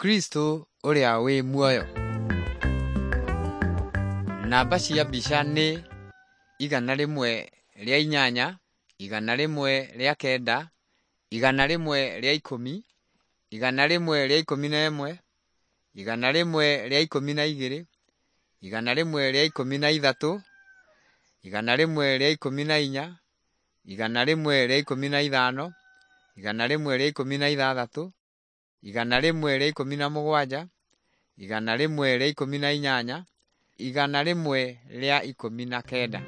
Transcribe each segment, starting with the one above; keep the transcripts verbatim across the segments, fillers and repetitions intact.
Kristo ũrĩa wĩ muoyo. Namba cia mbica nĩ igana rĩmwe rĩa inyanya, igana rĩmwe rĩa kenda, igana rĩmwe rĩa ikũmi, igana rĩmwe rĩa ikũmi na ĩmwe, igana rĩmwe rĩa ikũmi na igĩrĩ, igana rĩmwe rĩa ikũmi na ithatũ, igana rĩmwe rĩa ikũmi na inya, igana rĩmwe rĩa ikũmi na ithano, igana rĩmwe rĩa ikũmi na ithathatũ, igana rĩmwe rĩa ikũmi na mũgwanja, igana rĩmwe rĩa ikũmi na inyanya, igana rĩmwe rĩa ikũmi na kenda.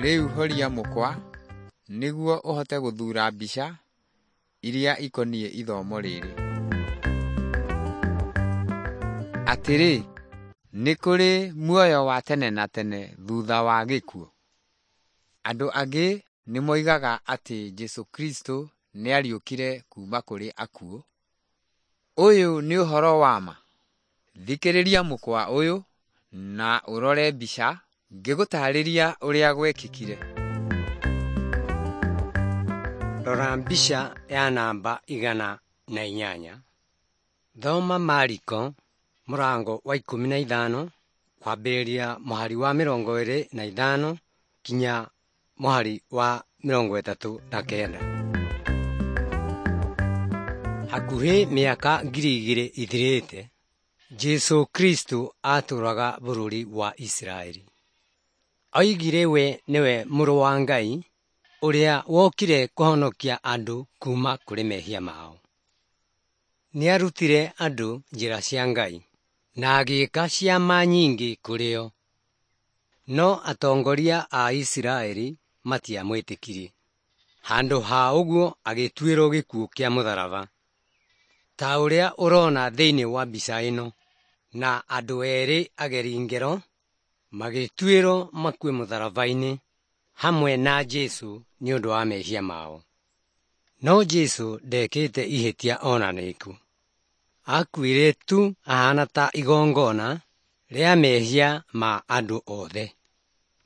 Rĩu horia mũkwa nĩguo ũhote gũthuura mbica iria ikoniĩ ithomo rĩrĩ. Atĩrĩ, nĩ kũrĩ muoyo wa tene na tene thutha wa gĩkuũ? Andũ angĩ nĩ moigaga atĩ Jesũ Kristo nĩariũkire kuuma kũrĩ akuũ. Ũyũ nĩ ũhoro wa ma? Thikĩrĩria mũkwa ũyũ na ũrore mbica ngĩgũtarĩria ũrĩa gwekĩkire. Rora mbica ya namba igana na inyanya. Thoma Mariko mũrango wa ikũmi na ithano kwambĩrĩria mũhari wa mĩrongo ĩrĩ na ithano kinya mũhari wa mĩrongo ĩtatũ na kenda. Hakuhĩ mĩaka ngiri igĩrĩ ithirĩte, Jesũ Kristo atũũraga bũrũri wa Isiraeli. Oigire we nĩwe mũrũ wa Ngai ũrĩa wokire kũhonokia andũ kuma kũrĩ mehia mao. Nĩarutire andũ njĩra cia Ngai na agĩĩka ciama nyingĩ kũrĩ o. No atongoria a Isiraeli matiamwĩtĩkirie. Handũ ha ũguo agĩtuĩrwo gĩkuũ kĩa mũtharaba. Ta ũrĩa ũrona thĩinĩ wa mbica ĩno, na andũ erĩ ageri ngero magĩtuĩrwo makue mũtharaba-inĩ hamwe na Jesũ nĩ ũndũ wa mehia mao. No Jesũ ndekĩte ihĩtia ona rĩkũ. Akuire tu ahana ta igongona rĩa mehia ma andũ othe.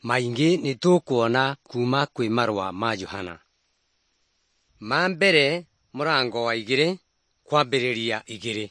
Maingĩ nĩ tũkuona kuma kwĩ marũa ma Johana. Ma mbere mũrango wa igĩrĩ kwambĩrĩria igĩrĩ.